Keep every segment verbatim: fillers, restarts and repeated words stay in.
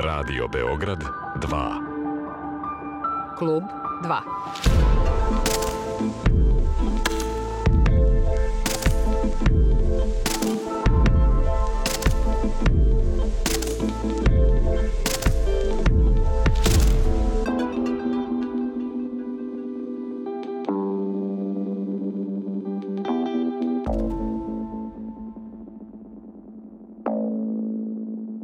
Radio Beograd dva. Klub dva.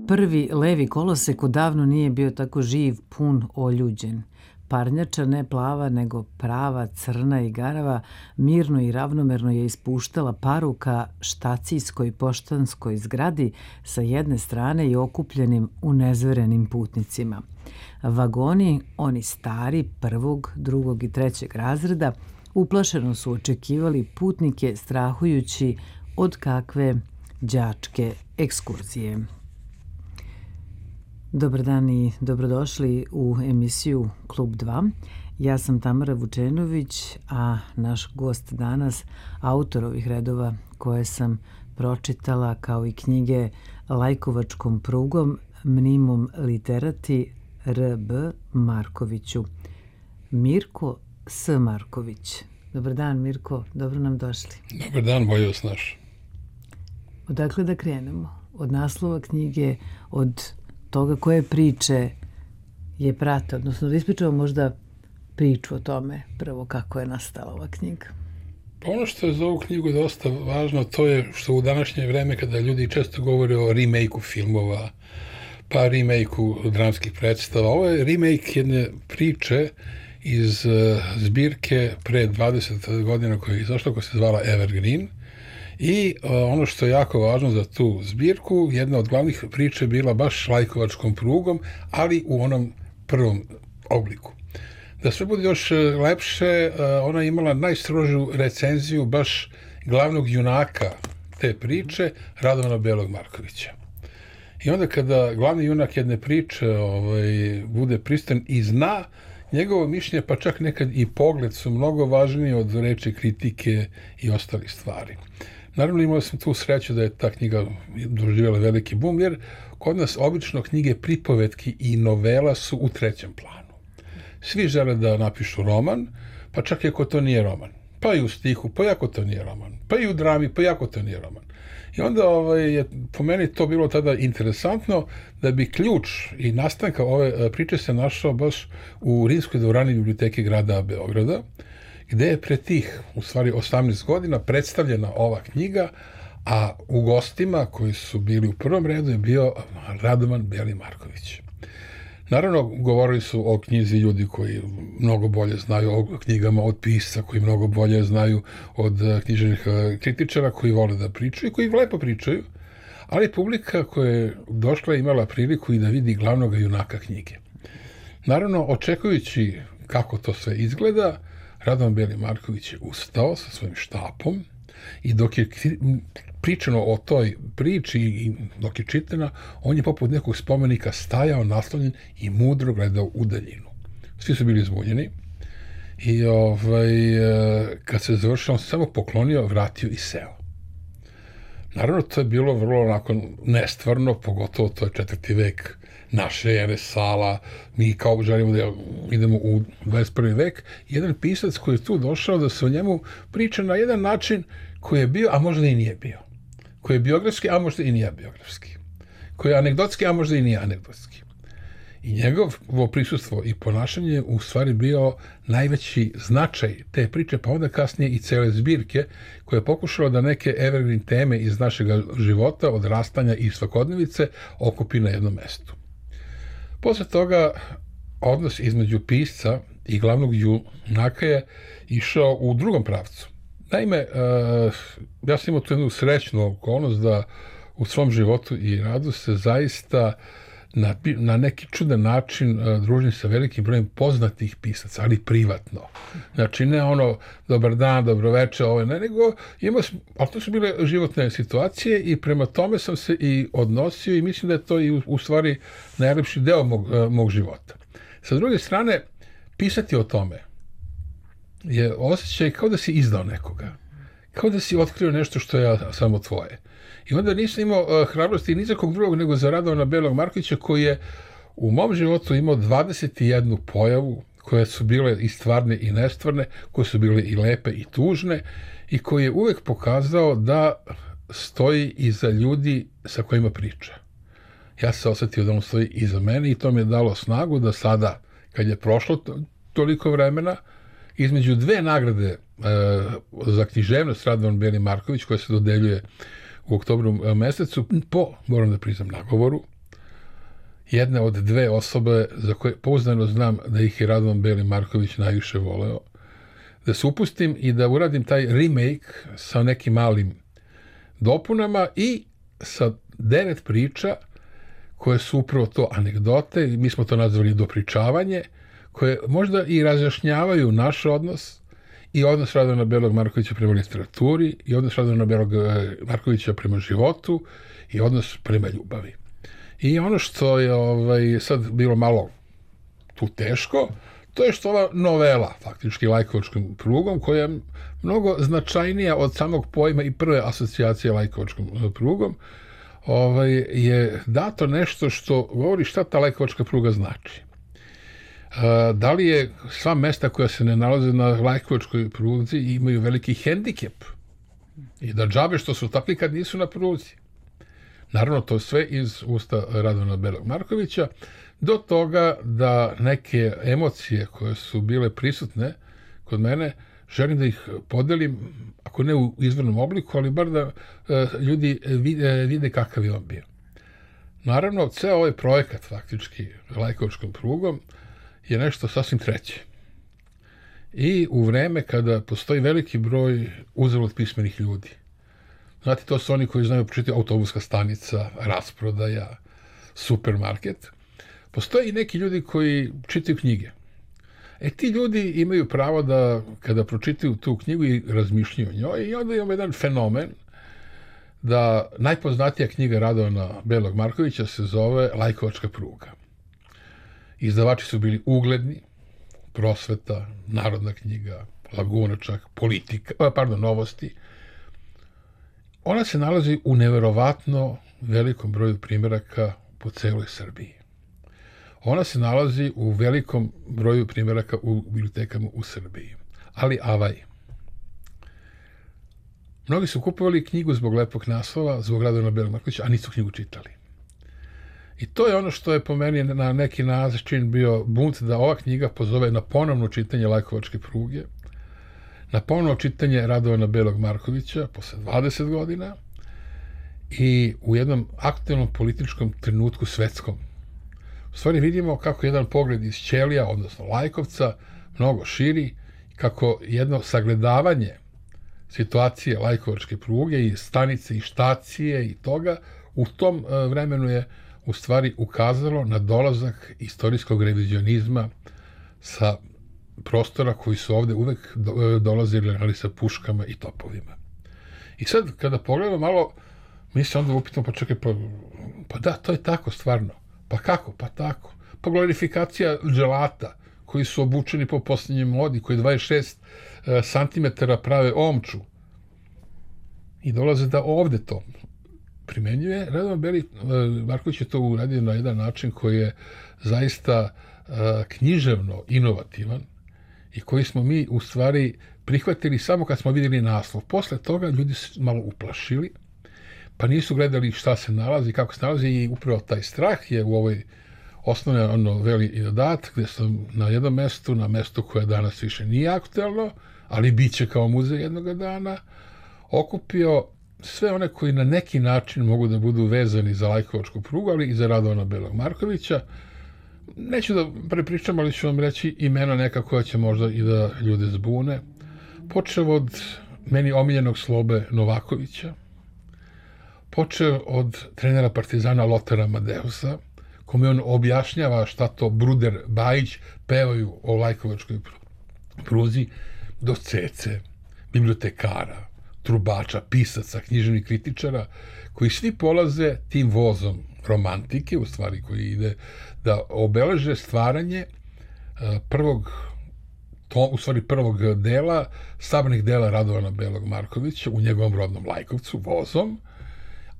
Prvi levi kolosek odavno nije bio tako živ, pun, oljuđen. Parnjača, ne plava, nego prava, crna i garava, mirno i ravnomerno je ispuštala paru ka štacijskoj poštanskoj zgradi sa jedne strane i okupljenim unezverenim putnicima. Vagoni, oni stari, prvog, drugog i trećeg razreda, uplašeno su očekivali putnike strahujući od kakve đačke ekskurzije. Dobar dan i dobrodošli u emisiju Klub dva. Ja sam Tamara Vučenović, a naš gost danas, autor ovih redova koje sam pročitala kao i knjige Lajkovačkom prugom, Mnimom literati R B Markoviću. Mirko S. Marković. Dobar dan, Mirko, dobro nam došli. Dobar dan, bolje vas naš. Odakle da krenemo? Od naslova knjige, od toga koje priče je prate, odnosno da ispričamo možda priču o tome prvo kako je nastala ova knjiga. Ono što je za ovu knjigu dosta važno, to je što u današnje vreme kada ljudi često govore o remake-u filmova, pa remake-u dramskih predstava, ovo je remake jedne priče iz zbirke pre dvadeset godina koja je izašla, koja se zvala Evergreen. I uh, ono što je jako važno za tu zbirku, jedna od glavnih priča je bila baš Lajkovačkom prugom, ali u onom prvom obliku. Da sve bude još lepše, uh, ona je imala najstrožiju recenziju baš glavnog junaka te priče, Radovana Belog Markovića. I onda kada glavni junak jedne priče ovaj, bude pristan i zna, njegovo mišljenje, pa čak nekad i pogled su mnogo važniji od reči kritike i ostalih stvari. Naravno, imao sam tu sreću da je ta knjiga doživjela veliki bum, jer kod nas obično knjige pripovetki i novela su u trećem planu. Svi žele da napišu roman, pa čak i ako to nije roman. Pa i u stihu, pa i ako to nije roman. Pa i u drami, pa i ako to nije roman. I onda ovaj, je po meni to bilo tada interesantno da bi ključ i nastanka ove priče se našao baš u Rimskoj dvorani biblioteke grada Beograda, gde je pre tih, u stvari osamnaest godina, predstavljena ova knjiga, a u gostima koji su bili u prvom redu je bio Radovan Beli Marković. Naravno, govorili su o knjizi ljudi koji mnogo bolje znaju o knjigama od pisca, koji mnogo bolje znaju od književnih kritičara, koji vole da pričaju i koji lepo pričaju, ali publika koja je došla i imala priliku i da vidi glavnog junaka knjige. Naravno, očekujući kako to sve izgleda, Radovan Beli Marković je ustao sa svojim štapom i dok je pričano o toj priči i dok je čitana, on je poput nekog spomenika stajao naslonjen i mudro gledao u daljinu. Svi su bili zbunjeni i ovaj, kad se završio, on se samo poklonio, vratio i seo. Naravno, to je bilo vrlo onako nestvarno, pogotovo to je četvrti vek naše ere, sala, mi kao želimo da idemo u dvadeset prvi vek. Jedan pisac koji je tu došao da se o njemu priča na jedan način koji je bio, a možda i nije bio. Koji je biografski, a možda i nije biografski. Koji je anegdotski, a možda i nije anegdotski. I njegovo prisustvo i ponašanje je u stvari bio najveći značaj te priče, pa onda kasnije i cele zbirke, koja je pokušala da neke evergreen teme iz našeg života, odrastanja i svakodnevice, okupi na jednom mestu. Posle toga, odnos između pisca i glavnog junaka je išao u drugom pravcu. Naime, ja sam imao tu jednu srećnu okolnost da u svom životu i radu se zaista na, na neki čudan način uh, družim sa velikim brojem poznatih pisaca, ali privatno. Znači, ne ono, dobar dan, dobro večer, ovo ne, nego imao sam, ali to su bile životne situacije i prema tome sam se i odnosio i mislim da je to i u, u stvari najlepši deo mog, uh, mog života. Sa druge strane, pisati o tome je osjećaj kao da si izdao nekoga. Kao da si otkrio nešto što je samo tvoje. I onda nisam imao uh, hrabrosti ni za kog drugog nego za Radovana Belog Markovića, koji je u mom životu imao dvadeset jednu pojavu koje su bile i stvarne i nestvarne, koje su bile i lepe i tužne i koji je uvek pokazao da stoji iza ljudi sa kojima priča. Ja se osetio da on stoji iza mene i to mi je dalo snagu da sada, kad je prošlo to, toliko vremena, između dve nagrade e, za književnost Radovan Beli Marković, koja se dodeljuje u oktobru mesecu, po, moram da priznam, nagovoru, jedna od dve osobe za koje pouzdano znam da ih je Radovan Beli Marković najviše voleo, da se upustim i da uradim taj remake sa nekim malim dopunama i sa devet priča koje su upravo to anegdote, mi smo to nazvali dopričavanje, koje možda i razjašnjavaju naš odnos i odnos Radovana Belog Markovića prema literaturi i odnos Radovana Belog Markovića prema životu i odnos prema ljubavi. I ono što je ovaj, sad bilo malo tu teško, to je što ova novela, faktički lajkovačkom prugom, koja je mnogo značajnija od samog pojma i prve asocijacije lajkovačkom prugom, ovaj, je dato nešto što govori šta ta lajkovačka pruga znači. Da li je sva mesta koja se ne nalaze na lajkovačkoj pruzi imaju veliki hendikep i da džabe što su takvi kad nisu na pruzi. Naravno, to sve iz usta Radovana Belog Markovića, do toga da neke emocije koje su bile prisutne kod mene, želim da ih podelim, ako ne u izvornom obliku, ali bar da uh, ljudi vide, vide kakav je on bio. Naravno, ceo ovaj projekat, faktički, lajkovačkom prugom, je nešto sasvim treće. I u vreme kada postoji veliki broj uzalud pismenih ljudi. Znate, to su oni koji znaju početi autobuska stanica, rasprodaja, supermarket. Postoje i neki ljudi koji čitaju knjige. E, ti ljudi imaju pravo da, kada pročitaju tu knjigu i razmišljaju o njoj, i onda imamo jedan fenomen da najpoznatija knjiga Radovana Belog Markovića se zove Lajkovačka pruga. Izdavači su bili ugledni, Prosveta, Narodna knjiga, Laguna čak, Politika, pardon, Novosti. Ona se nalazi u neverovatno velikom broju primjeraka po celoj Srbiji. Ona se nalazi u velikom broju primjeraka u bibliotekama u Srbiji. Ali avaj. Mnogi su kupovali knjigu zbog lepog naslova, zbog Radovana Belog Markovića, a nisu knjigu čitali. I to je ono što je po meni na neki način bio bunt da ova knjiga pozove na ponovno čitanje Lajkovačke pruge, na ponovno čitanje Radovana Belog Markovića posle dvadeset godina i u jednom aktuelnom političkom trenutku svetskom. U stvari vidimo kako jedan pogled iz Ćelija, odnosno Lajkovca, mnogo širi, kako jedno sagledavanje situacije Lajkovačke pruge i stanice i štacije i toga u tom vremenu je u stvari ukazalo na dolazak istorijskog revizionizma sa prostora koji su ovde uvek dolazili, ali sa puškama i topovima. I sad, kada pogledamo malo, mi se onda upitamo, pa čekaj, pa, pa da, to je tako stvarno. Pa kako? Pa tako. Pa glorifikacija dželata, koji su obučeni po posljednjoj modi, koji dvadeset šest santimetara prave omču. I dolaze da ovde to primenjuje. Radovan Beli Marković je to uradio na jedan način koji je zaista književno inovativan i koji smo mi u stvari prihvatili samo kad smo vidjeli naslov. Posle toga ljudi su malo uplašili, pa nisu gledali šta se nalazi, kako se nalazi i upravo taj strah je u ovoj osnovnoj noveli i dat, gde sam na jednom mestu, na mestu koje danas više nije aktuelno, ali bit će kao muzej jednog dana, okupio sve one koji na neki način mogu da budu vezani za Lajkovačku prugu, ali i za Radovana Belog Markovića. Neću da prepričam, ali ću vam reći imena neka koja će možda i da ljude zbune. Počeo od meni omiljenog Slobe Novakovića, počeo od trenera Partizana Lotara Amadeusa, kome on objašnjava šta to Bruder Bajić pevaju o Lajkovačkoj pruzi, do Cece, bibliotekara, trubača, pisaca, književnih kritičara, koji svi polaze tim vozom romantike, u stvari koji ide da obeleže stvaranje prvog, to, u stvari prvog dela, sabranih dela Radovana Belog Markovića u njegovom rodnom Lajkovcu, vozom,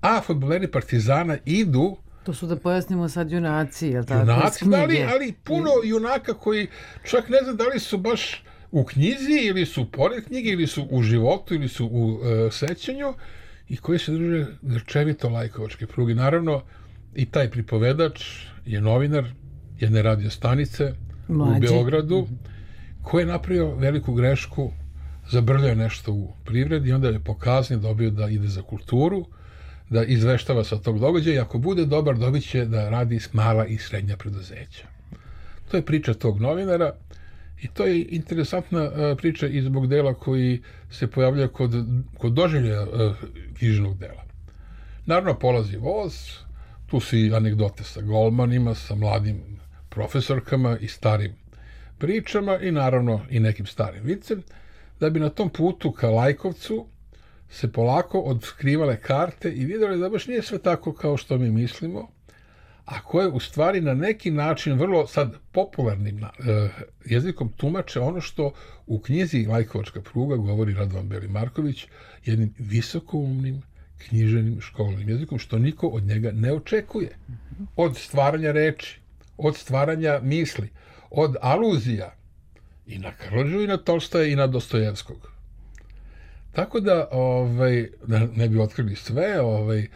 a fudbaleri Partizana idu To su, da pojasnimo sad, junaci, je li tako? Junaci, ali, ali puno junaka koji čak ne znam da li su baš u knjizi ili su pored knjige ili su u životu ili su u uh, sećanju i koji se drže grčevito lajkovačke pruge. Naravno, i taj pripovedač je novinar jedne radio stanice Mlađi. u Beogradu, koji je napravio veliku grešku, zabrljao nešto u privredi i onda je po kazni dobio da ide za kulturu, da izveštava sa tog događaja i ako bude dobar dobit će da radi s mala i srednja preduzeća. To je priča tog novinara i to je interesantna uh, priča i zbog dela koji se pojavlja kod, kod doživljaja uh, književnog dela. Naravno, polazi voz, tu su i anegdote sa golmanima, sa mladim profesorkama i starim pričama i naravno i nekim starim vicem, da bi na tom putu ka Lajkovcu se polako odskrivale karte i vidjeli da baš nije sve tako kao što mi mislimo, a koje u stvari na neki način vrlo sad popularnim uh, jezikom tumače ono što u knjizi Lajkovačka pruga govori Radovan Beli Marković jednim visokoumnim književnim školnim jezikom, što niko od njega ne očekuje. Od stvaranja reči, od stvaranja misli, od aluzija i na Karlođu i na Tolstoja i na Dostojevskog. Tako da, ovaj, da ne bi otkrili sve, ovaj,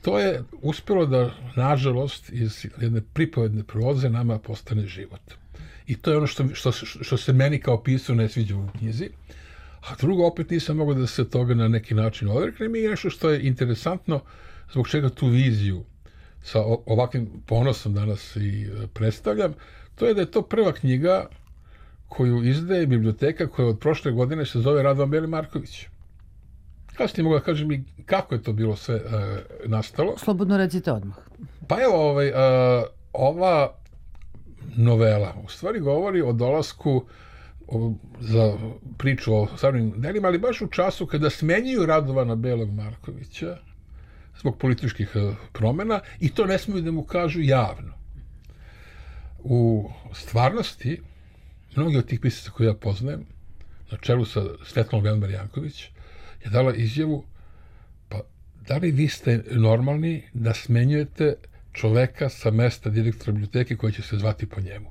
to je uspjelo da, nažalost, iz jedne pripovedne proze nama postane život. I to je ono što, što, što se meni kao pisu ne sviđa u knjizi. A drugo, opet nisam mogao da se toga na neki način odreknem i nešto što je interesantno, zbog čega tu viziju sa ovakvim ponosom danas i predstavljam, to je da je to prva knjiga koju izdaje biblioteka koja od prošle godine se zove Radovan Beli Marković. Kasnije mogu da kažem i kako je to bilo sve uh, nastalo. Slobodno recite odmah. Pa evo, ovaj, uh, ova novela u stvari govori o dolasku o, za priču o savremenim delima, ali baš u času kada smenjuju Radovana Belog Markovića zbog političkih uh, promjena i to ne smiju da mu kažu javno. U stvarnosti, mnogi od tih pisaca koje ja poznajem, na čelu sa Svetlom Velmar Janković, je dala izjavu, pa da li vi ste normalni da smenjujete čoveka sa mesta direktora biblioteke koji će se zvati po njemu?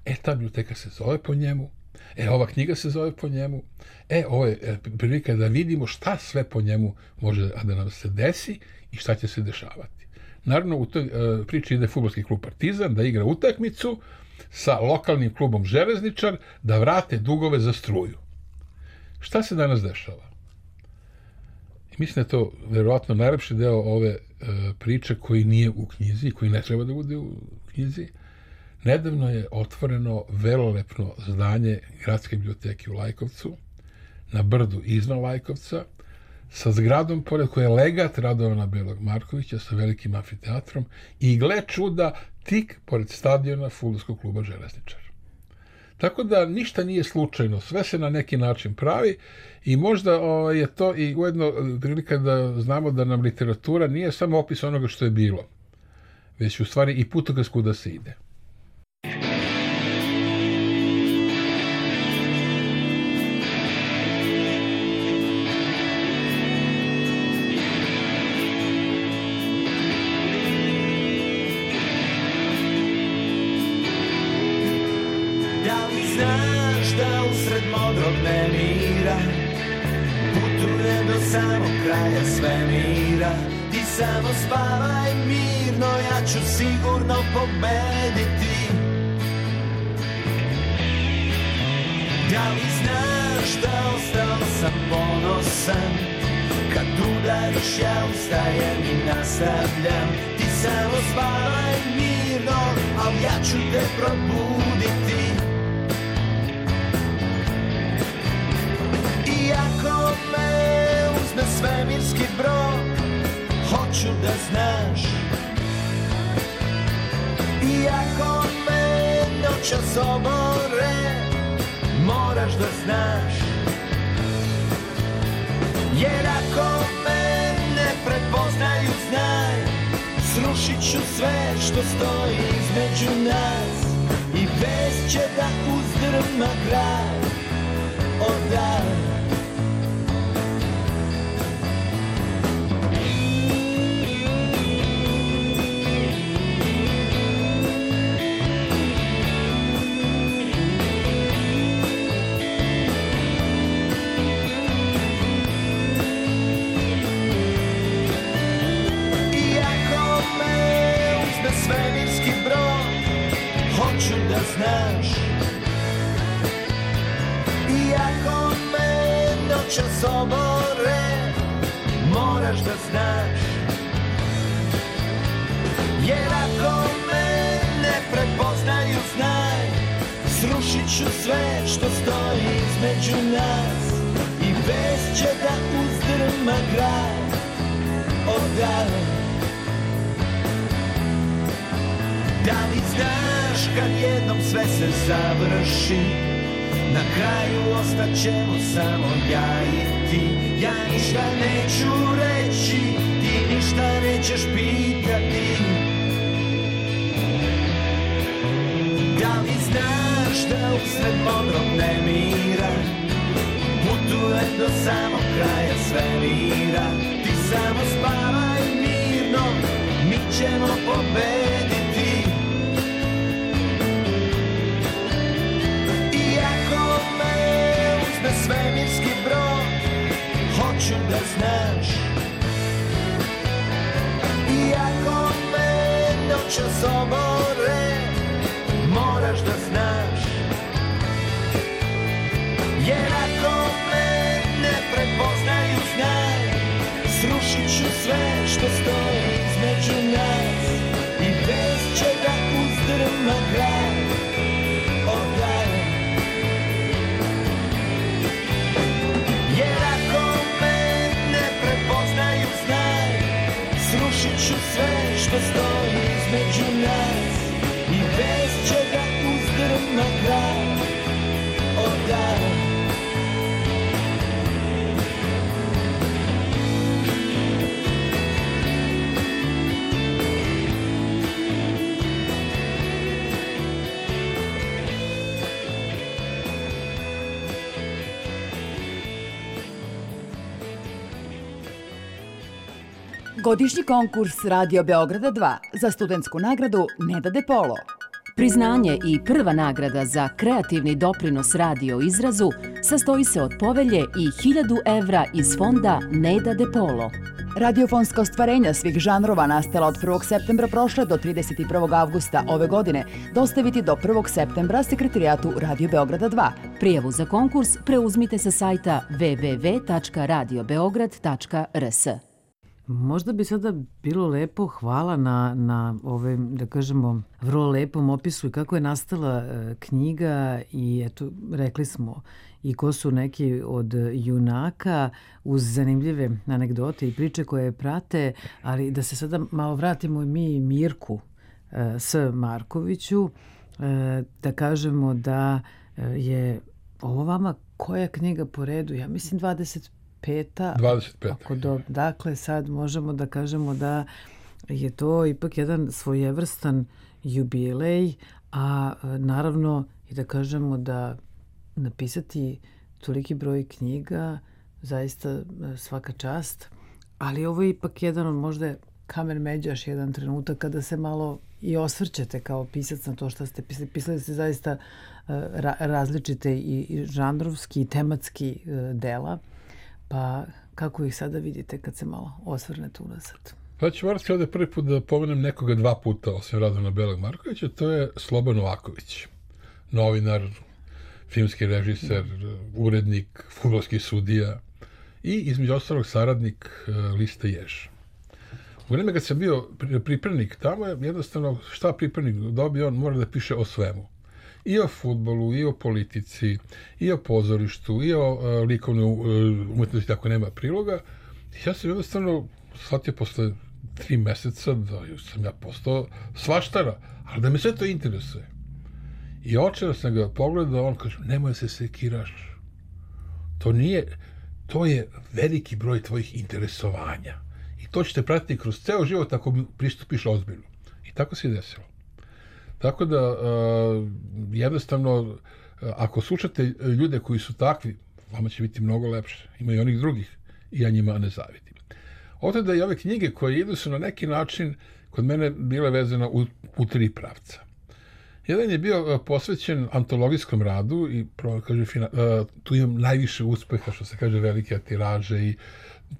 E, ta biblioteka se zove po njemu, e, ova knjiga se zove po njemu, e, ovo je prilika da vidimo šta sve po njemu može da nam se desi i šta će se dešavati. Naravno, u toj uh, priči ide fudbalski klub Partizan da igra utakmicu sa lokalnim klubom Železničar da vrate dugove za struju. Šta se danas dešava? I mislim da je to verovatno najlepši deo ove e, priče koji nije u knjizi, koji ne treba da bude u knjizi. Nedavno je otvoreno velelepno zdanje Gradske biblioteke u Lajkovcu, na brdu iznad Lajkovca, sa zgradom pored koje je legat Radovana Belog Markovića sa velikim amfiteatrom i gle čuda tik pored stadiona fudbalskog kluba Železničar. Tako da ništa nije slučajno, sve se na neki način pravi i možda o, je to i ujedno prilika da znamo da nam literatura nije samo opis onoga što je bilo, već u stvari i putokaz kuda se ide. Kraja svemira, ti samo spavaj mirno, ja ću sigurno pobediti. Da li znaš da ostao sam ponosan, kad udariš ja ustajem i nastavljam. Ti samo spavaj mirno, al ja ću te probuditi. Iako me na svemirski brod, hoću da znaš. Iako me noćas obore, moraš da znaš. Jer ako me ne prepoznaju, znaj, srušit ću sve što stoji između nas i vest će da uzdrma kraj od dana. noćas obore, moraš da znaš. Jer ako me ne prepoznaju, znaj, srušit ću sve što stoji između nas i vest će da uzdrma kraj odale. Da li znaš kad jednom sve se završi, na kraju ostaćemo samo ja i ti. Ja ništa neću reći, ti ništa nećeš pitati. Da li znaš da usred modrog nemira putujem do samog kraja svemira? Ti samo spavaj mirno, mi ćemo pobediti. Iako me uzme svemirski brod, hoću da znaš. Iako me noćas obore, moraš da znaš. Jer ako me ne prepoznaju, znaj, srušit ću sve što stoji između nas i vest će da uzdrma kraj odale. Jer ako me ne prepoznaju, znaj, srušit ću sve što stoji između nas i vest će da uzdrma kraj odale. Godišnji konkurs Radio Beograda dva za studentsku nagradu Neda De Polo. Priznanje i prva nagrada za kreativni doprinos radio izrazu sastoji se od povelje i hiljadu evra iz fonda Neda De Polo. Radiofonska ostvarenja svih žanrova nastala od prvog septembra prošle do trideset prvog avgusta ove godine dostaviti do prvog septembra sekretarijatu Radio Beograda dva. Prijavu za konkurs preuzmite sa sajta w w w tačka radio beograd tačka r s. Možda bi sada bilo lepo, hvala na, na ove, da kažemo, vrlo lepom opisu i kako je nastala e, knjiga i eto, rekli smo i ko su neki od junaka uz zanimljive anegdote i priče koje prate, ali da se sada malo vratimo mi Mirku e, S. Markoviću, e, da kažemo da je ovo vama koja knjiga po redu? Ja mislim dvadeset peta. dvadeset peta. Ako do, dakle, sad možemo da kažemo da je to ipak jedan svojevrstan jubilej, a naravno i da kažemo da napisati toliki broj knjiga, zaista svaka čast, ali ovo je ipak jedan od možda kamen međaš, jedan trenutak kada se malo i osvrćete kao pisac na to što ste pisali. Pisali ste zaista ra različite i, i žanrovski i tematski dela. Pa kako ih sada vidite kad se malo osvrnete unazad? Pa ću morati ovdje prvi put da pomenem nekoga dva puta, osim Radovana Belog Markovića, to je Slobodan Novaković, novinar, filmski režiser, urednik, fudbalski sudija i između ostalog saradnik liste Jež. U vreme kad sam bio pripravnik tamo, jednostavno šta pripravnik dobio, on mora da piše o svemu. I o fudbalu, i o politici, i o pozorištu, i o uh, likovnoj uh, umetnosti, ako nema priloga. I ja sam jednostavno shvatio posle tri meseca da sam ja postao svaštara, ali da me sve to interesuje. I očeo sam ga pogledao, on kaže, nemoj se sekiraš. To nije, to je veliki broj tvojih interesovanja. I to ćete pratiti kroz ceo život ako pristupiš ozbiljno. I tako se je desilo. Tako da, uh, jednostavno, uh, ako slušate ljude koji su takvi, vama će biti mnogo lepše. Ima i onih drugih i ja njima ne zavidim. Oto da i ove knjige koje idu su na neki način kod mene bile vezane u, u tri pravca. Jedan je bio uh, posvećen antologijskom radu i kaže, fina, uh, tu imam najviše uspeha, što se kaže, velike tiraže i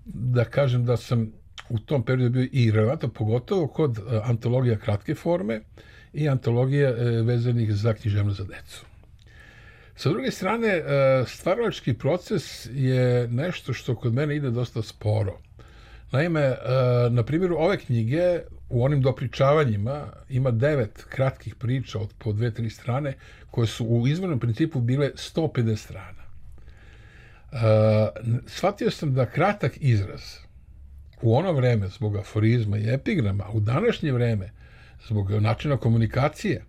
da kažem da sam u tom periodu bio i relevantan, pogotovo kod uh, antologija kratke forme i antologije e, vezanih za književnost za decu. Sa druge strane, stvaralački proces je nešto što kod mene ide dosta sporo. Naime, na primjeru ove knjige, u onim dopričavanjima ima devet kratkih priča od po dve, tri strane, koje su u izvornom principu bile sto pedeset strana. Shvatio sam da kratak izraz u ono vreme zbog aforizma i epigrama, a u današnje vreme zbog načina komunikacije,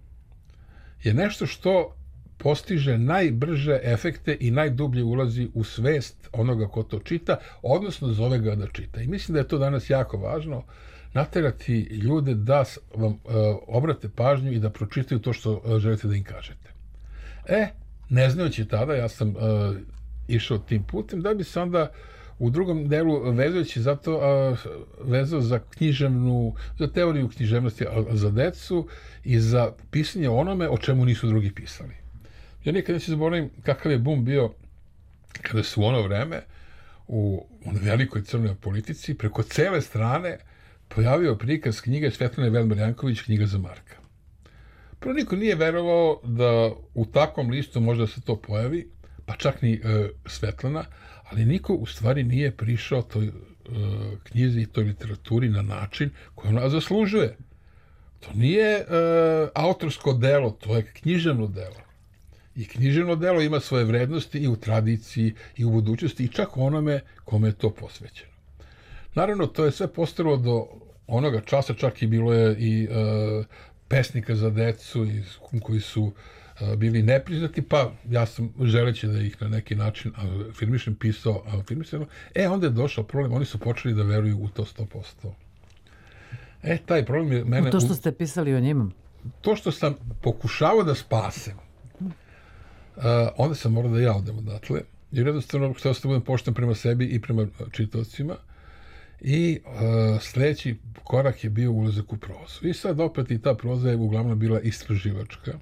je nešto što postiže najbrže efekte i najdublje ulazi u svest onoga ko to čita, odnosno zove ga da čita. I mislim da je to danas jako važno, naterati ljude da vam uh, obrate pažnju i da pročitaju to što uh, želite da im kažete. E, ne znajući tada, ja sam uh, išao tim putem, da bi se onda u drugom delu, vezujući zato, uh, vezao za književnu, za teoriju književnosti za decu i za pisanje onome o čemu nisu drugi pisali. Ja nikad neću zaboravim kakav je bum bio kada su u ono vreme u velikoj crnoj politici preko cele strane pojavio prikaz knjige Svetlane Velmar Janković, Knjiga za Marka. Prvo, niko nije verovao da u takvom listu možda se to pojavi, pa čak ni e, Svetlana, ali niko u stvari nije prišao toj e, knjizi i toj literaturi na način koji ona zaslužuje. To nije e, autorsko delo, to je književno delo. I književno delo ima svoje vrednosti i u tradiciji i u budućnosti i čak onome kome je to posvećeno. Naravno, to je sve postalo do onoga časa, čak i bilo je i e, pesnika za decu i, koji su e, bili nepriznati, pa ja sam želeći da ih na neki način afirmišem, pisao afirmišeno. E, onda je došao problem, oni su počeli da veruju u to sto posto. E, taj problem je mene... U to što ste pisali o njima? To što sam pokušavao da spasem, Uh, onda sam morao da ja odem odatle, jer jednostavno htio sam da budem pošten prema sebi i prema čitavcima i uh, sljedeći korak je bio ulazak u prozu. I sad opet i ta proza je uglavnom bila istraživačka.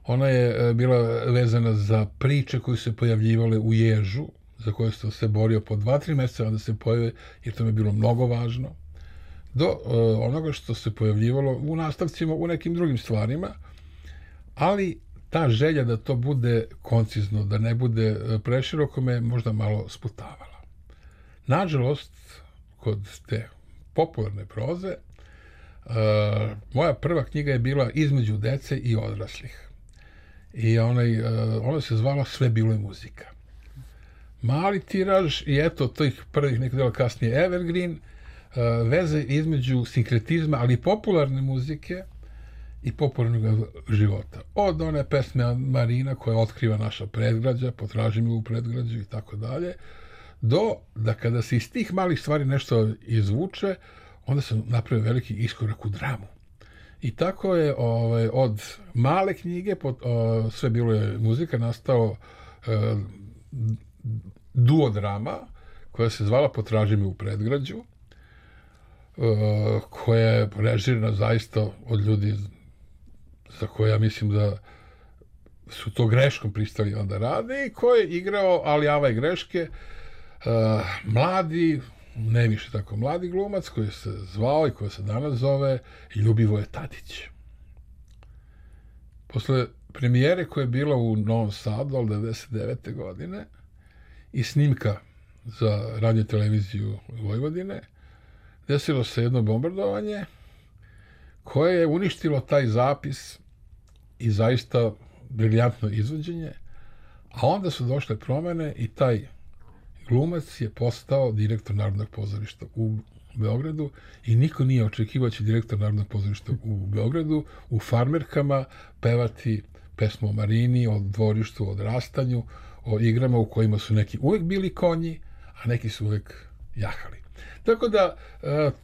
Ona je uh, bila vezana za priče koje se pojavljivale u Ježu, za koje sam se borio po dva, tri mjeseca, onda se pojave, jer to mi je bilo mnogo važno, do uh, onoga što se pojavljivalo u nastavcima, u nekim drugim stvarima, ali ta želja da to bude koncizno, da ne bude preširoko, me možda malo sputavala. Nažalost, kod te popularne proze, uh, moja prva knjiga je bila Između dece i odraslih. I onaj, uh, ona se zvala Sve bilo je muzika. Mali tiraž i eto, tih prvih nekog dela kasnije Evergreen, uh, veze između sinkretizma, ali i popularne muzike i popularnog života. Od one pesme Marina koja otkriva naša predgrađa, Potraži me u predgrađu i tako dalje, do da kada se iz tih malih stvari nešto izvuče, onda sam napravio veliki iskorak u dramu. I tako je ovaj, od male knjige, pod, o, Sve bilo je muzika, nastao e, duodrama koja se zvala Potraži me u predgrađu, e, koja je režirana zaista od ljudi za koje ja mislim da su to greškom pristali onda rade i ko je igrao, ali ove greške, uh, mladi, ne više tako mladi glumac koji se zvao i koji se danas zove Ljubivoje Tadić. Posle premijere koja je bila u Novom Sadu, ali devedeset devete godine, i snimka za radio televiziju Vojvodine, desilo se jedno bombardovanje koje je uništilo taj zapis i zaista briljantno izvođenje, a onda su došle promene i taj glumac je postao direktor Narodnog pozorišta u Beogradu i niko nije očekivao će direktor Narodnog pozorišta u Beogradu u Farmerkama pevati pesmu o Marini, o dvorištu, o odrastanju, o igrama u kojima su neki uvek bili konji, a neki su uvek jahali. Tako da,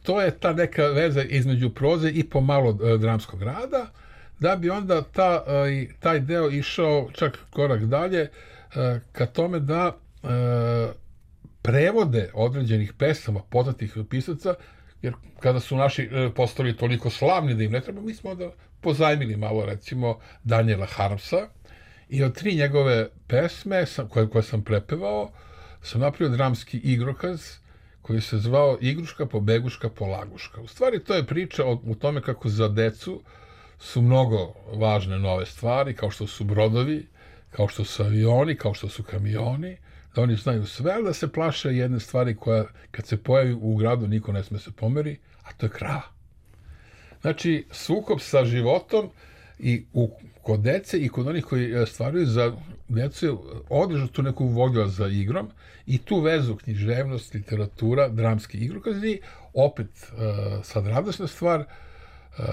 to je ta neka veza između proze i pomalo dramskog rada, da bi onda ta, taj deo išao čak korak dalje ka tome da prevode određenih pesama poznatih pisaca, jer kada su naši postali toliko slavni da im ne treba, mi smo onda pozajmili malo, recimo, Daniela Harmsa i od tri njegove pesme koje, koje sam prepevao sam napravio dramski igrokaz koji se zvao Igruška, Pobeguška, Polaguška. U stvari to je priča o, o tome kako za decu su mnogo važne nove stvari, kao što su brodovi, kao što su avioni, kao što su kamioni, da oni znaju sve, ali da se plaše jedne stvari koja, kad se pojavi u gradu, niko ne sme se pomeri, a to je krava. Znači, sukob sa životom i u, kod dece i kod onih koji stvaraju za decu održu tu neku volju za igrom i tu vezu književnost, literatura, dramski igrokazi, opet uh, sad radosna stvar, uh,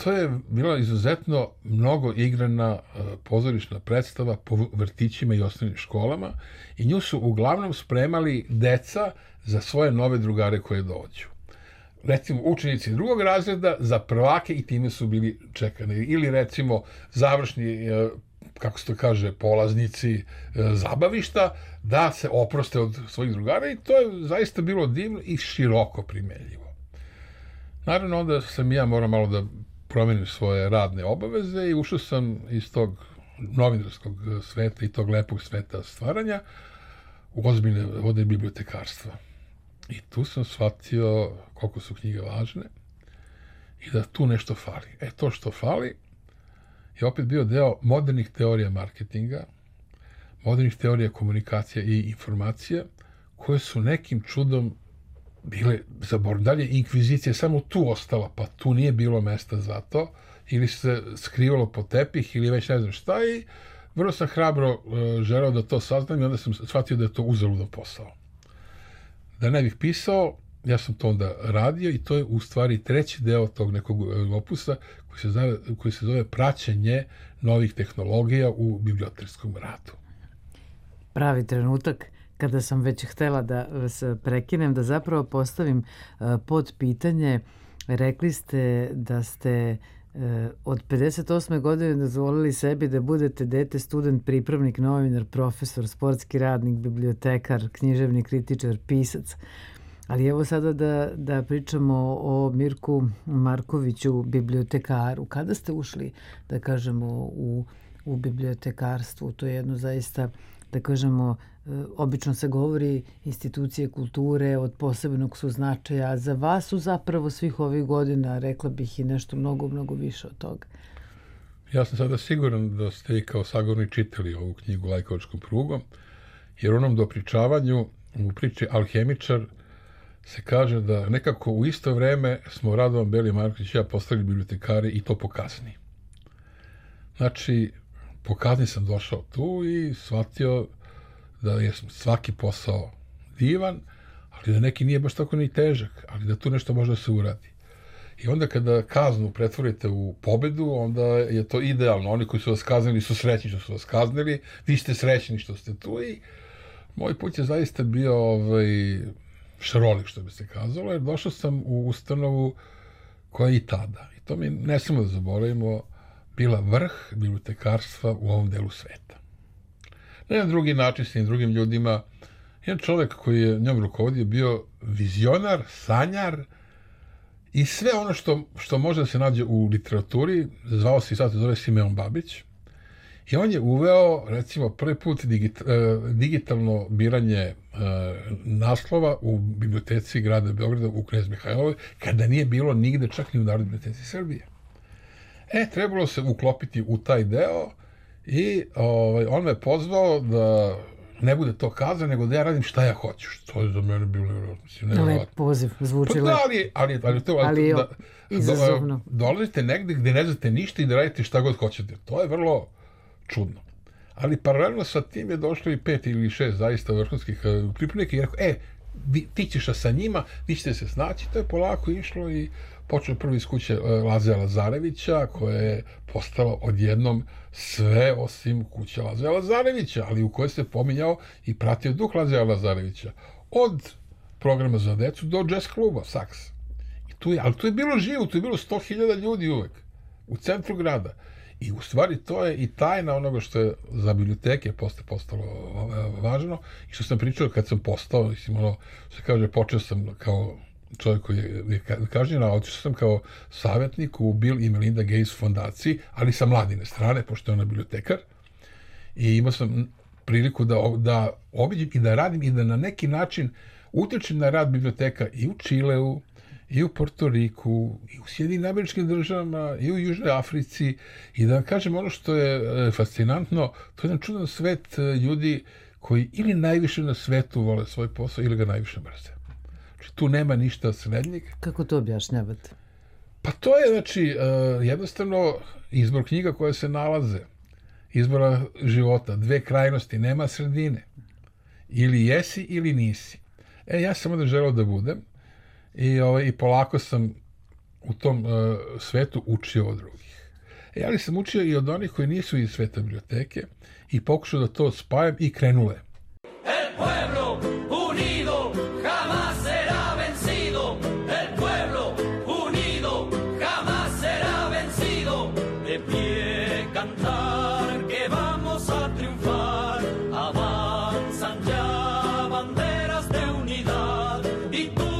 to je bila izuzetno mnogo igrana uh, pozorišna predstava po vrtićima i osnovnim školama i nju su uglavnom spremali deca za svoje nove drugare koje dođu. Recimo, učenici drugog razreda za prvake i time su bili čekani. Ili, recimo, završni, kako se to kaže, polaznici zabavišta, da se oproste od svojih drugara i to je zaista bilo divno i široko primenljivo. Naravno, onda sam ja morao malo da promenim svoje radne obaveze i ušao sam iz tog novinarskog sveta i tog lepog sveta stvaranja u ozbiljne vode bibliotekarstva. I tu sam shvatio koliko su knjige važne i da tu nešto fali. E, to što fali je opet bio deo modernih teorija marketinga, modernih teorija komunikacije i informacije, koje su nekim čudom bile zaboravljene. Dalje, inkvizicija samo tu ostala, pa tu nije bilo mesta za to, ili se skrivalo po tepih, ili već ne znam šta, i vrlo sam hrabro uh, želeo da to saznam i onda sam shvatio da je to uzaludan posao. Da ne bih pisao, ja sam to onda radio i to je u stvari treći deo tog nekog opusa koji se zove, koji se zove praćenje novih tehnologija u bibliotekarskom radu. Pravi trenutak kada sam već htela da vas prekinem, da zapravo postavim pod pitanje. Rekli ste da ste od pedeset osme godine dozvolili sebi da budete dete, student, pripravnik, novinar, profesor, sportski radnik, bibliotekar, književni kritičar, pisac. Ali evo sada da, da pričamo o Mirku Markoviću, bibliotekaru. Kada ste ušli, da kažemo, u, u bibliotekarstvu? To je jedno zaista, da kažemo, obično se govori institucije kulture od posebnog su značaja, a za vas su zapravo svih ovih godina, rekla bih, i nešto mnogo, mnogo više od toga. Ja sam sada siguran da ste i kao sagovornik čitali ovu knjigu Lajkovačkom prugom, jer u onom dopričavanju, u priči Alhemičar, se kaže da nekako u isto vreme smo Radovan Beli Marković i ja postali bibliotekari i to pokazni. Znači, pokazni sam došao tu i shvatio da je svaki posao divan, ali da neki nije baš tako ni težak, ali da tu nešto može da se uradi. I onda kada kaznu pretvorite u pobedu, onda je to idealno. Oni koji su vas kaznili su srećni što su vas kaznili, vi ste srećni što ste tu i moj put je zaista bio ovaj, šarolik, što bi se kazalo, jer došao sam u ustanovu koja je i tada, i to mi ne smemo da zaboravimo, bila vrh bibliotekarstva u ovom delu sveta. Na jedan drugi način, s tim drugim ljudima, jedan čovjek koji je njom rukovodio bio vizionar, sanjar i sve ono što, što može da se nađe u literaturi, zvao se i sad se zove Simeon Babić, i on je uveo, recimo, prvi put digit, digitalno biranje naslova u biblioteci grada Beograda u Knez Mihajlovoj, kada nije bilo nigde, čak ni u Narodnoj biblioteci Srbije. E, trebalo se uklopiti u taj deo i ovaj, on me pozvao da ne bude to kazano, nego da ja radim šta ja hoću. Što je za mene bilo nevjerojatno. Lep poziv, zvuči lep. Ali, ali, ali, to, ali, ali da, izazovno. Da, dolazite negde gde ne znate ništa i da radite šta god hoćete. To je vrlo čudno. Ali paralelno sa tim je došlo i pet ili šest zaista vrhunskih pripravnika i rekao, e, vi, ti ćeš sa njima, vi ćete se snaći. To je polako išlo i počeo prvi iz kuće Lazeja Lazarevića, koja je postala odjednom sve osim kuće Lazeja Lazarevića, ali u kojoj se pominjao i pratio duh Lazeja Lazarevića. Od programa za decu do jazz kluba, saks. I tu je, ali tu je bilo živo, tu je bilo sto hiljada ljudi uvek, u centru grada. I u stvari to je i tajna onoga što je za biblioteke posle postalo važno i što sam pričao kad sam postao, mislim, ono, se kaže, počeo sam kao čovjek koji je kažnjen, a otišao sam kao savjetnik u Bill i Melinda Gates fondaciji, ali sa mladine strane, pošto je ona bibliotekar. I imao sam priliku da, da obiđem i da radim i da na neki način utičem na rad biblioteka i u Čileu, i u Portoriku, i u Sjedinim Američkim Državama, i u Južnoj Africi. I da vam kažem, ono što je fascinantno, to je jedan čudan svet ljudi koji ili najviše na svetu vole svoj posao ili ga najviše mrze. Znači, tu nema ništa srednjeg. Kako to objašnjavate? Pa to je, znači, jednostavno izbor knjiga koje se nalaze, izbora života, dve krajnosti, nema sredine. Ili jesi ili nisi. E, ja sam onda želeo da budem i, ovaj, i polako sam u tom uh, svetu učio od drugih. E, ali sam učio i od onih koji nisu iz sveta biblioteke i pokušao da to spajam i krenule. El pueblo unido jamás será vencido. El pueblo unido jamás será vencido. De pie cantar que vamos a triunfar. Avanzan ya banderas de unidad y tú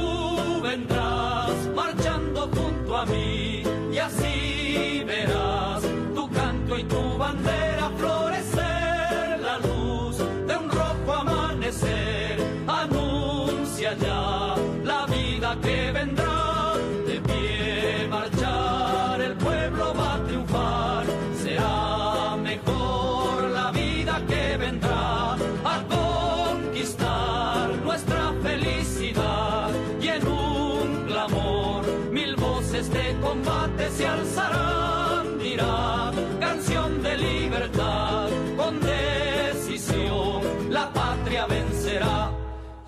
vendrás marchando junto a mí y así verás tu canto y tu bandera florecer. La luz de un rojo amanecer anuncia ya la vida que vendrá. De pie marchar el pueblo va a triunfar. Será mejor la vida que vendrá a conquistar nuestra felicidad. Y en un clamor mil voces de combate se alzarán. Dirá canción de libertad con decisión la patria vencerá.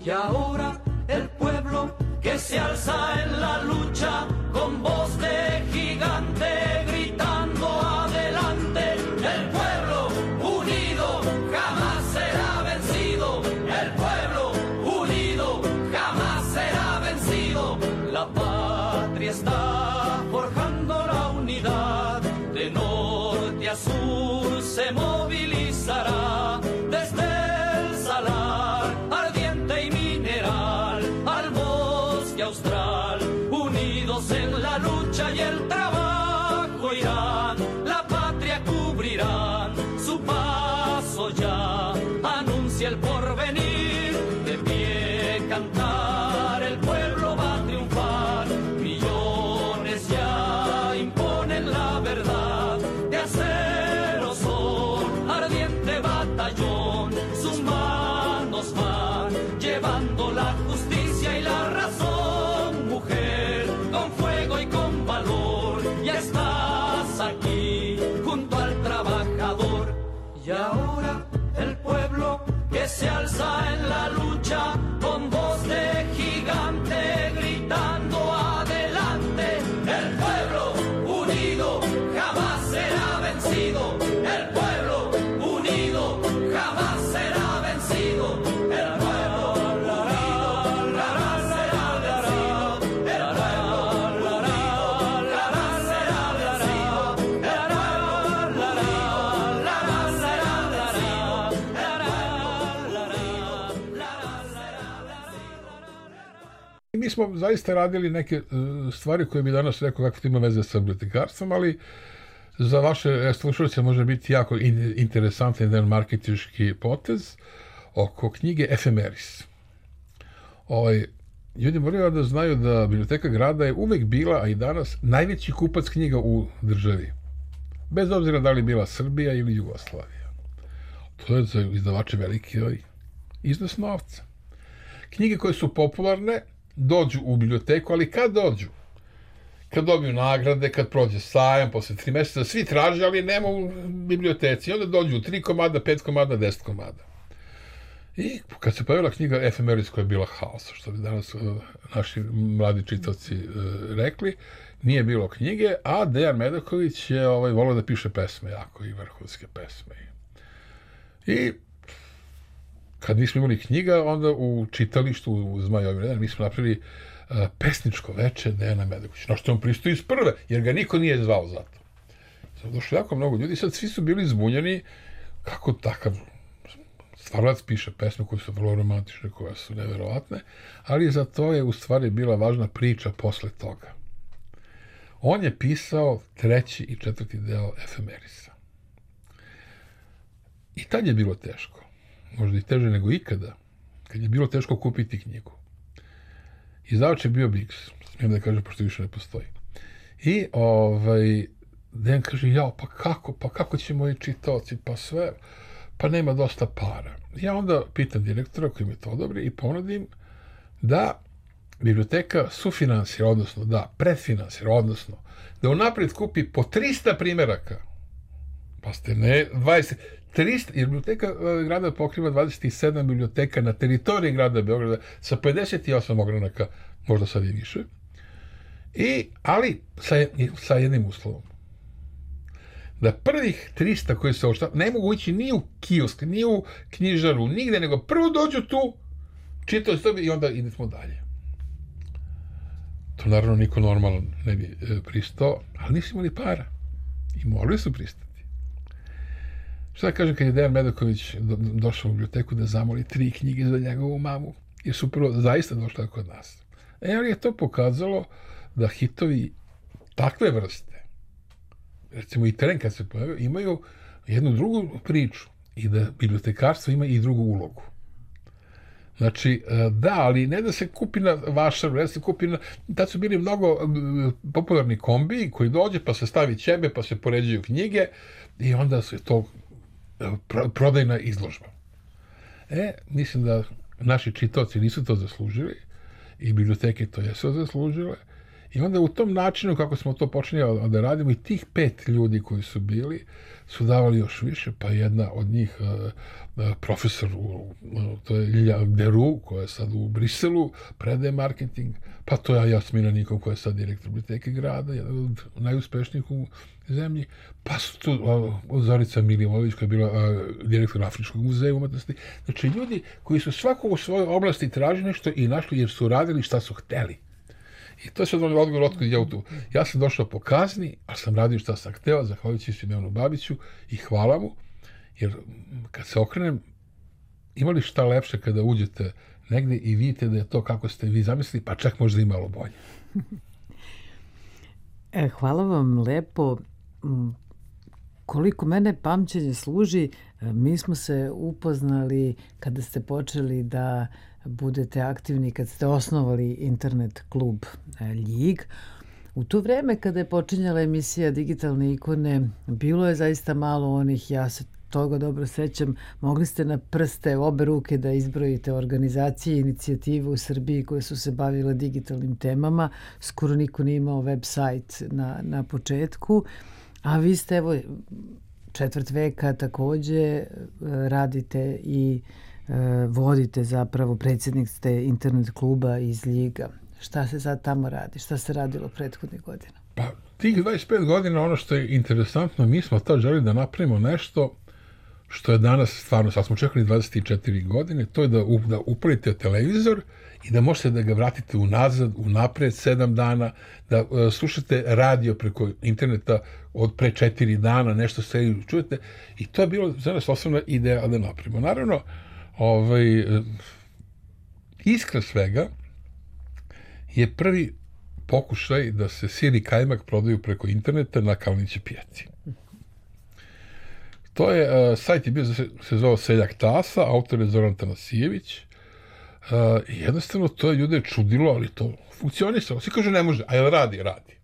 Y ahora el pueblo que se alza en la lucha con voz de gigante gritando adelante. El pueblo unido jamás será vencido. El pueblo unido jamás será vencido. La patria está forjando la unidad. De norte a sur se movilizará. Desde el salar ardiente y mineral al bosque austral. Unidos en la lucha y el trabajo irán. La patria cubrirán. Su paso ya anuncia el porvenir. De pie cantar el pueblo va a triunfar. Millones ya imponen la verdad. De acero son ardiente batallón. Sus manos van llevando la justicia y la razón. Mujer, con fuego y con valor, ya estás aquí junto al trabajador. Y ahora el pueblo que se alza en la lucha con voz de gigante gritando adelante. El pueblo unido jamás será vencido. El pueblo unido jamás será vencido. El pueblo unido jamás será vencido. El pueblo unido jamás será vencido. El pueblo unido jamás será vencido. Mi smo zaista radili neke uh, stvari koje bi danas rekao kako to ima veze sa bibliotekarstvom, ali za vaše slušalce može biti jako in, interesantan jedan marketinški potez oko knjige Efemeris. Ovaj, ljudi moraju da znaju da Biblioteka grada je uvek bila, a i danas, najveći kupac knjiga u državi. Bez obzira da li bila Srbija ili Jugoslavija. To je za izdavače veliki iznos novca. Knjige koje su popularne dođu u biblioteku, ali kad dođu? Kad dobiju nagrade, kad prođe sajam, posle tri meseca, svi traže, ali nema u biblioteci. I onda dođu tri komada, pet komada, deset komada. I kad se pojavila knjiga Efemeris koja je bila haos, što bi danas uh, naši mladi čitavci uh, rekli, nije bilo knjige, a Dejan Medaković je ovaj, volio da piše pesme jako i vrhunske pesme. I kad nismo imali knjiga, onda u čitalištu u Zmajovim redama mi smo napravili uh, pesničko veče Dejana Medakovića, na što on pristoji iz prve, jer ga niko nije zvao za to. Sad došlo jako mnogo ljudi, sad svi su bili zbunjeni kako takav stvaralac piše pesme koje su vrlo romantične, koje su neverovatne, ali za to je u stvari bila važna priča posle toga. On je pisao treći i četvrti deo Efemerisa. I tad je bilo teško. Možda i teže nego ikada, kad je bilo teško kupiti knjigu. Izdavač je bio Biggs, smijem da kažem, pošto više ne postoji. I ovaj, Dejan kaže, jao, pa kako, pa kako će moji čitaoci, pa sve, pa nema dosta para. Ja onda pitam direktora koji mi to odobri i ponudim da biblioteka sufinansira, odnosno da predfinansira, odnosno da unapred kupi po trista primeraka. Pa ste ne, dvadeset, trista, jer biblioteka grada pokriva dvadeset sedam biblioteka na teritoriji grada Beograda sa pedeset osam ogranaka, možda sad i više. I, ali sa, sa jednim uslovom. Da prvih trista koji se oštavaju, ne mogu ići ni u kiosk, ni u knjižaru, nigde, nego prvo dođu tu, čitaju sebi i onda idemo dalje. To naravno niko normalan ne bi e, pristao, ali nisu imali para. I morali su pristati. Šta da kažem kad je Dejan Medaković do, došao u biblioteku da zamoli tri knjige za njegovu mamu, jer su prvo zaista došle kod nas. E, ali je to pokazalo da hitovi takve vrste, recimo i Tren kad se pojavio, imaju jednu drugu priču i da bibliotekarstvo ima i drugu ulogu. Znači, da, ali ne da se kupi na vašaru, ne da se kupi na... Tad su bili mnogo popularni kombi koji dođe pa se stavi ćebe, pa se poređuju knjige i onda su to prodajna izložba. E, mislim da naši čitaoci nisu to zaslužili i biblioteke to jesu zaslužile. I onda u tom načinu kako smo to počinjali da radimo i tih pet ljudi koji su bili su davali još više, pa jedna od njih uh, uh, profesor, u, uh, to je Ilja Deru, koja je sad u Briselu, predaje marketing, pa to je Jasmina Nikov, koja je sad direktor biblioteke grada, jedan od najuspešnijih u zemlji, pa su tu uh, Zorica Milivojević, koja je bila uh, direktor Afričkog muzeja umetnosti. Znači, ljudi koji su svako u svojoj oblasti tražili nešto i našli jer su radili šta su hteli. I to je sad odgovor otkud ja u tu. Ja sam došao po kazni, ali sam radio šta sam hteo, zahvaljujući Simonu Babiću i hvala mu, jer kad se okrenem, imali šta lepše kada uđete negde i vidite da je to kako ste vi zamislili, pa čak možda i malo bolje. E, hvala vam lepo. Koliko mene pamćenje služi, mi smo se upoznali kada ste počeli da budete aktivni, kad ste osnovali internet klub Ljig. U to vreme kada je počinjala emisija Digitalne ikone, bilo je zaista malo onih, ja se toga dobro sećam, mogli ste na prste obe ruke da izbrojite organizacije i inicijative u Srbiji koje su se bavile digitalnim temama. Skoro niko nije imao web sajt na, na početku, a vi ste evo četvrt veka takođe radite i vodite zapravo, predsjednik ste internet kluba iz Ljiga. Šta se sad tamo radi? Šta se radilo prethodnih godina? Pa, tih dvadeset pet godina, ono što je interesantno, mi smo tad želi da napravimo nešto što je danas stvarno, sad smo čekali dvadeset četiri godine, to je da, da upalite televizor i da možete da ga vratite unazad, unapred, sedam dana, da uh, slušate radio preko interneta od pre četiri dana, nešto se čujete. I to je bilo za nas osnovna ideja da napravimo. Naravno, ovaj, iskra svega je prvi pokušaj da se sir i kajmak prodaju preko interneta na Kalniće pijaci. To je, uh, sajt je bio, se, se zvao Seljak Tasa, autor je Zoran Tanasijević. Uh, jednostavno to je ljude čudilo, ali to funkcionisalo. Svi kažu ne može, a jel radi? Radi.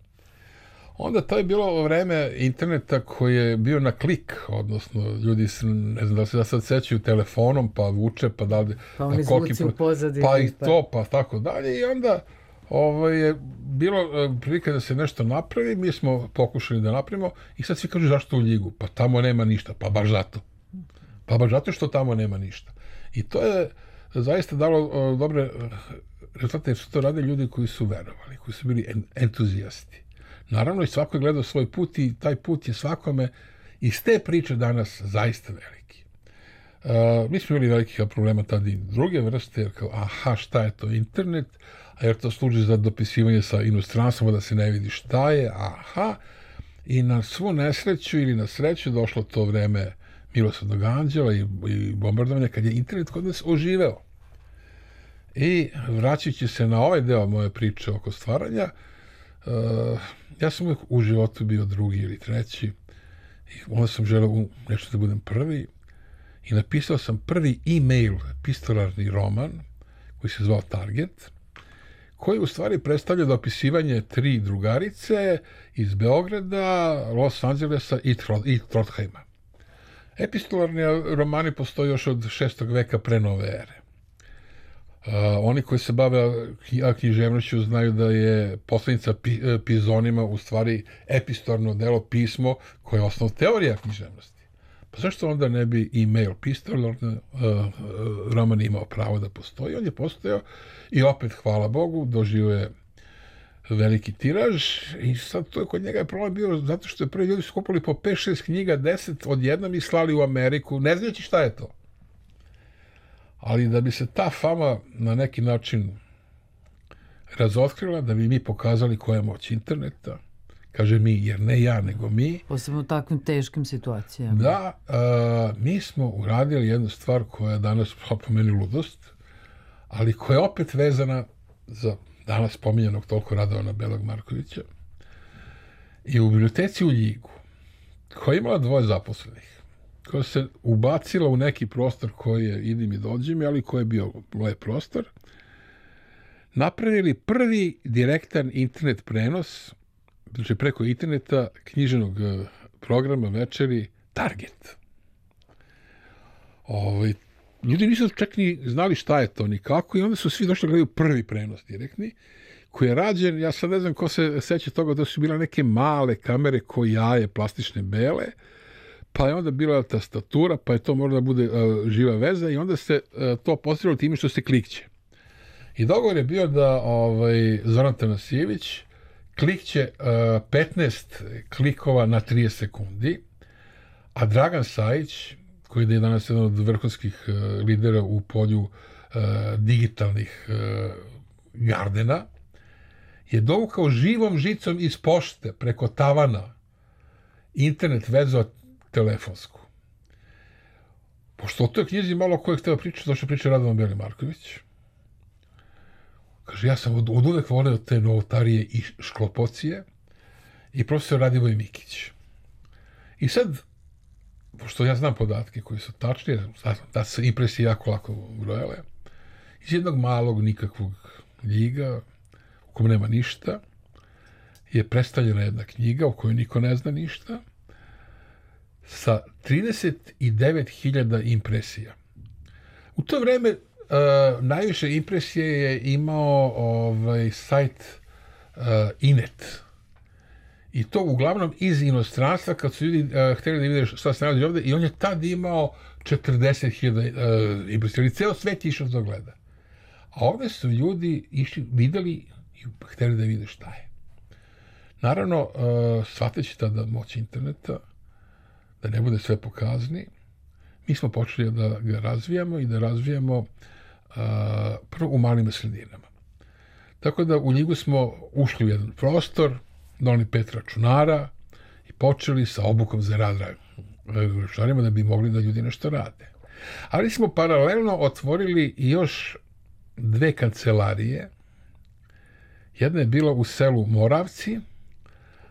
Onda to je bilo vreme interneta koji je bio na klik, odnosno ljudi se, ne znam da se da sad sećaju telefonom, pa vuče, pa dalje. Pa oni zvuci u pozadini. Pa i to, pa tako dalje. I onda ovo je bilo prilika da se nešto napravi, mi smo pokušali da napravimo i sad svi kažu zašto u Ljigu? Pa tamo nema ništa, pa baš zato. Pa baš zato što tamo nema ništa. I to je zaista dalo uh, dobre rezultate, jer su to radili ljudi koji su verovali, koji su bili en, entuzijasti. Naravno, i svako je gledao svoj put i taj put je svakome iz te priče danas zaista veliki. Uh, mi smo imali velikih problema tada i druge vrste, jer kao, aha, šta je to internet, a jer to služi za dopisivanje sa inostranstvom, da se ne vidi šta je, aha, i na svu nesreću ili na sreću došlo to vreme Milosrdnog anđela i, i bombardovanja, kad je internet kod nas oživeo. I vraćajući se na ovaj deo moje priče oko stvaranja, uh, ja sam uvijek u životu bio drugi ili treći i onda sam želeo nešto da budem prvi i napisao sam prvi e-mail, pistolarni roman koji se zvao Target, koji u stvari predstavlja dopisivanje tri drugarice iz Beograda, Los Angelesa i, Tro, i Trondheima. Epistolarni romani postoje još od šestog veka pre nove ere. Uh, oni koji se bave književnošću znaju da je poslednica pi, Pizonima u stvari epistolarno delo, pismo koje je osnov teorija književnosti. Pa zašto onda ne bi e-mail epistolarni uh, roman imao pravo da postoji? On je postojao i opet, hvala Bogu, doživio je veliki tiraž i sad to je kod njega je problem bio zato što je prvi ljudi su kupili po pet šest knjiga, deset odjednom i slali u Ameriku, ne znajući šta je to. Ali da bi se ta fama na neki način razotkrila, da bi mi pokazali koja je moć interneta, kaže mi, jer ne ja, nego mi. Posebno u takvim teškim situacijama. Da, a, mi smo uradili jednu stvar koja je danas po meni ludost, ali koja je opet vezana za danas pominjanog toliko Radovana Belog Markovića. I u biblioteci u Ljigu, koja je imala dvoje zaposlenih, koja se ubacila u neki prostor koji je idim i dođem, ali koji je bio lep prostor, napravili prvi direktan internet prenos, znači preko interneta, književnog programa večeri Target. Ovaj, ljudi nisu čak ni znali šta je to, ni kako, i onda su svi došli da gledaju prvi prenos direktni, koji je rađen, ja sad ne znam ko se seća toga, da su bile neke male kamere ko jaje, plastične bele, pa je onda bila tastatura, pa je to moralo da bude uh, živa veza i onda se uh, to postavilo time što se klikće. I dogovor je bio da ovaj, Zoran Tanasijević klikće uh, petnaest klikova na trideset sekundi, a Dragan Sajić, koji je danas jedan od vrhunskih uh, lidera u polju uh, digitalnih uh, gardena, je dovukao živom žicom iz pošte preko tavana internet vezu telefonsku. Pošto o toj knjizi malo ko je hteo pričati, došao priča Radovan Beli Marković. Kaže, ja sam od, od uvek voleo te novotarije i šklopocije i profesor Radivoj Mikić. I sad, pošto ja znam podatke koji su tačni, da se impresije jako lako brojale, iz jednog malog nikakvog Ljiga, u kojem nema ništa, je predstavljena jedna knjiga u kojoj niko ne zna ništa, sa trideset devet hiljada impresija. U to vreme uh, najviše impresije je imao ovaj, sajt uh, Inet. I to uglavnom iz inostranstva, kad su ljudi uh, htjeli da vide šta se nalazi ovde, i on je tad imao četrdeset hiljada uh, impresija. Ceo svet je išao da gleda. A ovde su ljudi išli, videli i htjeli da vide šta je. Naravno, uh, shvateći tada moć interneta, da ne bude sve pokazni, mi smo počeli da ga razvijamo i da razvijamo uh, prvo u malim sredinama. Tako da u Ljigu smo ušli u jedan prostor, doneli pet računara i počeli sa obukom za rad računarima da bi mogli da ljudi nešto rade. Ali smo paralelno otvorili još dve kancelarije. Jedna je bila u selu Moravci,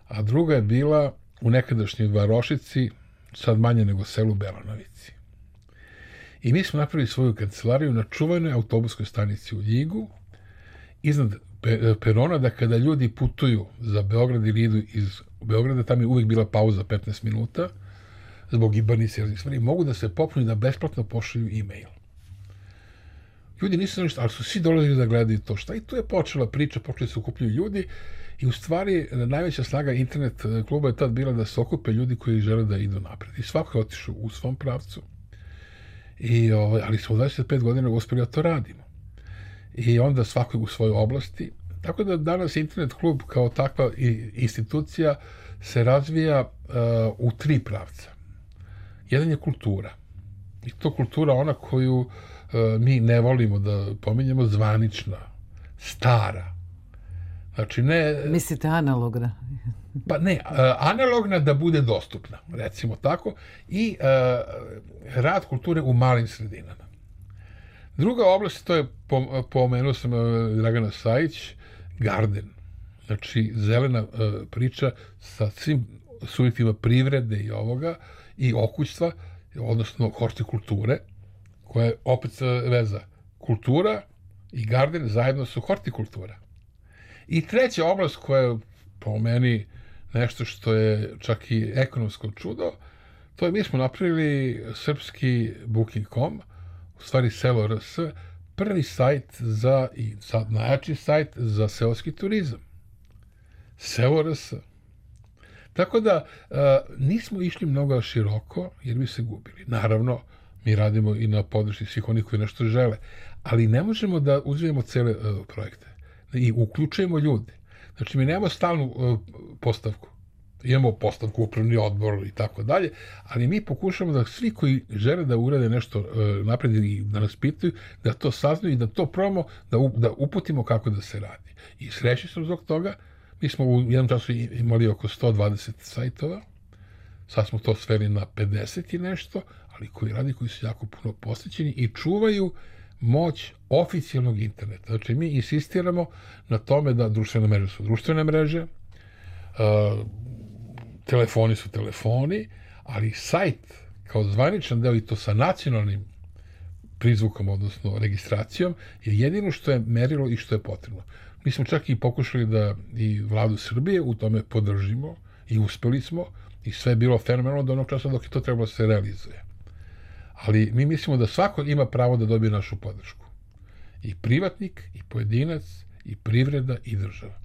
a druga je bila u nekadašnjoj Varošici, sad manje nego selu Belanovici. I mi smo napravili svoju kancelariju na čuvanoj autobuskoj stanici u Ljigu, iznad perona, da kada ljudi putuju za Beograd ili idu iz Beograda, tam je uvijek bila pauza petnaest minuta, zbog ibarnice i raznih stvari, mogu da se popnu i da besplatno pošalju e-mail. Ljudi nisu znali šta, ali su svi dolazili da gledaju to šta. I tu je počela priča, počeli se okupljaju ljudi i u stvari najveća snaga internet kluba je tad bila da se okupe ljudi koji žele da idu napred. I svako je otišao u svom pravcu. I, ovaj, ali smo u dvadeset pet godina uspeli da to radimo. I onda svako u svojoj oblasti. Tako da danas internet klub kao takva institucija se razvija uh, u tri pravca. Jedan je kultura. I to kultura ona koju uh, mi ne volimo da pominjemo, zvanična, stara. Znači ne... Mislite analogna? Pa ne, uh, analogna da bude dostupna, recimo tako, i uh, rad kulture u malim sredinama. Druga oblast, to je, pomenuo sam uh, Dragana Sajić, garden. Znači, zelena uh, priča sa svim subjektima privrede i ovoga, i okućstva, odnosno hortikulture, koja je opet veza. Kultura i garden zajedno su hortikultura. I treća oblast koja je po meni nešto što je čak i ekonomsko čudo, to je mi smo napravili srpski booking dot com, u stvari Selo R S, prvi sajt za, i sad najjači sajt za seoski turizam. Selo R S. Tako da uh, nismo išli mnogo široko jer bi se gubili. Naravno, mi radimo i na podršci svih onih koji nešto žele, ali ne možemo da uzmemo cele uh, projekte i uključujemo ljude. Znači, mi nemamo stalnu uh, postavku. Imamo postavku, upravni odbor i tako dalje, ali mi pokušamo da svi koji žele da urade nešto uh, napred i da nas pitaju, da to saznaju i da to probamo, da, u, da uputimo kako da se radi. I srećni sam zbog toga. Mi smo u jednom času imali oko sto dvadeset sajtova, sad smo to sveli na pedeset i nešto, ali koji radi, koji su jako puno posvećeni i čuvaju moć oficijalnog interneta. Znači, mi insistiramo na tome da društvene mreže su društvene mreže, uh, telefoni su telefoni, ali sajt kao zvaničan deo i to sa nacionalnim prizvukom, odnosno registracijom, je jedino što je merilo i što je potrebno. Mi smo čak i pokušali da i vladu Srbije u tome podržimo i uspeli smo i sve je bilo fenomenalno do onog časa dok je to trebalo da se realizuje. Ali mi mislimo da svako ima pravo da dobije našu podršku. I privatnik, i pojedinac, i privreda, i država.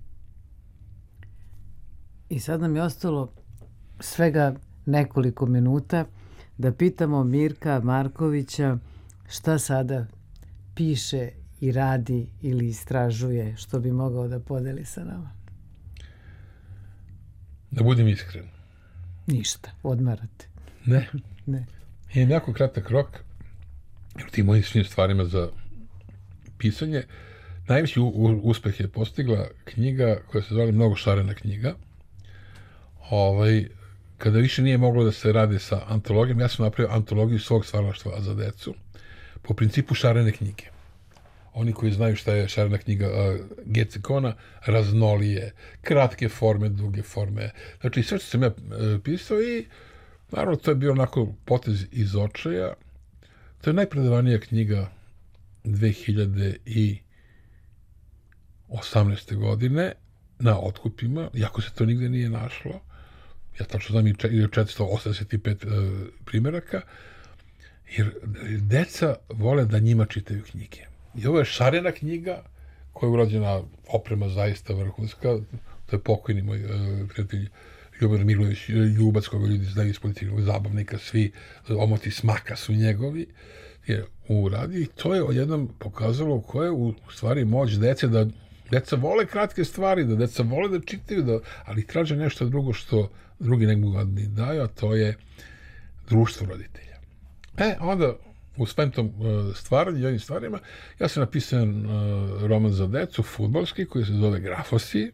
I sad nam je ostalo svega nekoliko minuta da pitamo Mirka Markovića šta sada piše i radi ili istražuje, što bi mogao da podeli sa nama. Da budem iskren. Ništa, odmarate. Ne. Ne. Je jako kratak rok, jer tim mojim svim stvarima za pisanje. Najveći u, u, uspeh je postigla knjiga koja se zove Mnogo šarena knjiga. Ovaj, kada više nije moglo da se radi sa antologijom, ja sam napravio antologiju svog stvaralaštva za decu po principu šarene knjige. Oni koji znaju šta je šarena knjiga uh, Gecekona, raznolije, kratke forme, duge forme. Znači, sve što sam ja uh, pisao i naravno, to je bio onako potez iz očaja. To je najpredavanija knjiga dve hiljade osamnaeste. godine na otkupima, iako se to nigde nije našlo. Ja tačno znam i četiristo osamdeset pet uh, primjeraka, jer deca vole da njima čitaju knjige. I ovo je šarena knjiga koja je urađena, oprema zaista vrhunska. To je pokojni moj uh, prijatelj Ljubomir Milović, Ljubac, koga ljudi znaju iz političkog zabavnika, svi omoti smaka su njegovi, je uradio i to je odjednom pokazalo koja je u stvari moć dece, da deca vole kratke stvari, da deca vole da čitaju, da, ali traže nešto drugo što drugi ne mogu da daju, a to je društvo roditelja. E, onda u svem tom uh, stvaranju i ovim stvarima, ja sam napisao uh, roman za decu, fudbalski, koji se zove Grafosi,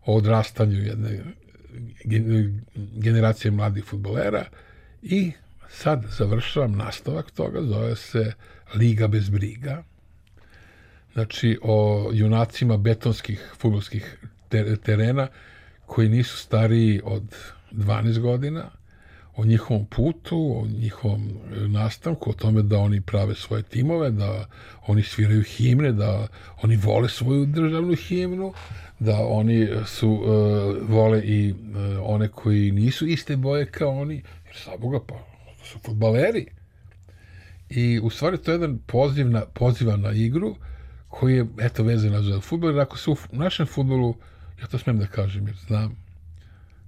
o odrastanju jedne generacije mladih fudbalera i sad završavam nastavak toga, zove se Liga bez briga. Znači, o junacima betonskih fudbalskih terena koji nisu stariji od dvanaest godina, o njihovom putu, o njihovom nastavku, o tome da oni prave svoje timove, da oni sviraju himne, da oni vole svoju državnu himnu, da oni su uh, vole i uh, one koji nisu iste boje kao oni, jer sa Boga pa to su fudbaleri. I u stvari to je jedan poziv na, poziva na igru koji je eto vezan za fudbal, jer ako se u našem fudbalu, ja to smijem da kažem jer znam,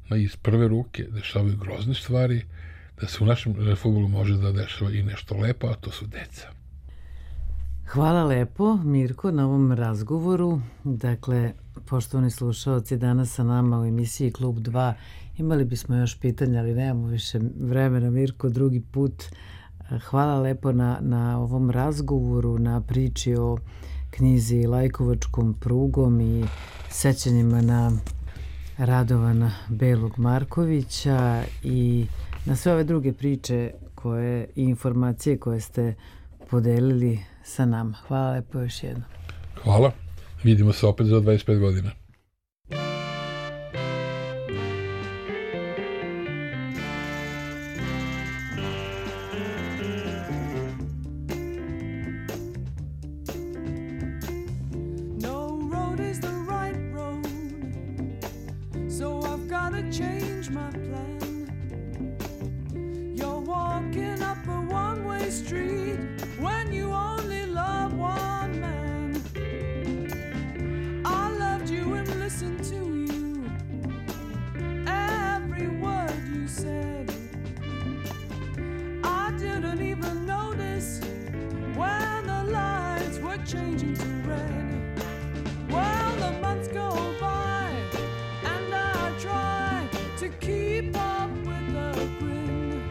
na iz prve ruke dešavaju grozne stvari, da se u našem fudbalu može da dešava i nešto lepo, a to su deca. Hvala lepo, Mirko, na ovom razgovoru. Dakle, poštovani slušalci, danas sa nama u emisiji Klub dva imali bismo još pitanja, ali nemamo više vremena. Mirko, drugi put. Hvala lepo na, na ovom razgovoru, na priči o knjizi Lajkovačkom prugom i sećanjima na Radovana Belog Markovića i na sve ove druge priče koje, i informacije koje ste podelili sa nama. Hvala lepo još jednom. Hvala. Vidimo se opet za dvadeset pet godina. No road is the right road. gotta change my plan. You're walking up a one-way street when you only love one man. I loved you and listened to you, every word you said. I didn't even notice when the lights were changing to red. Well, the months go by and I try to keep up with the grin,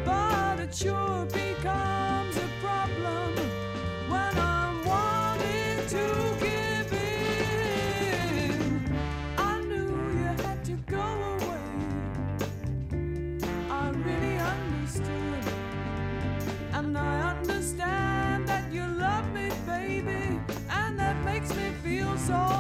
but it sure becomes a problem when I'm wanting to give in. I knew you had to go away, I really understood, and I understand that you love me, baby, and that makes me feel so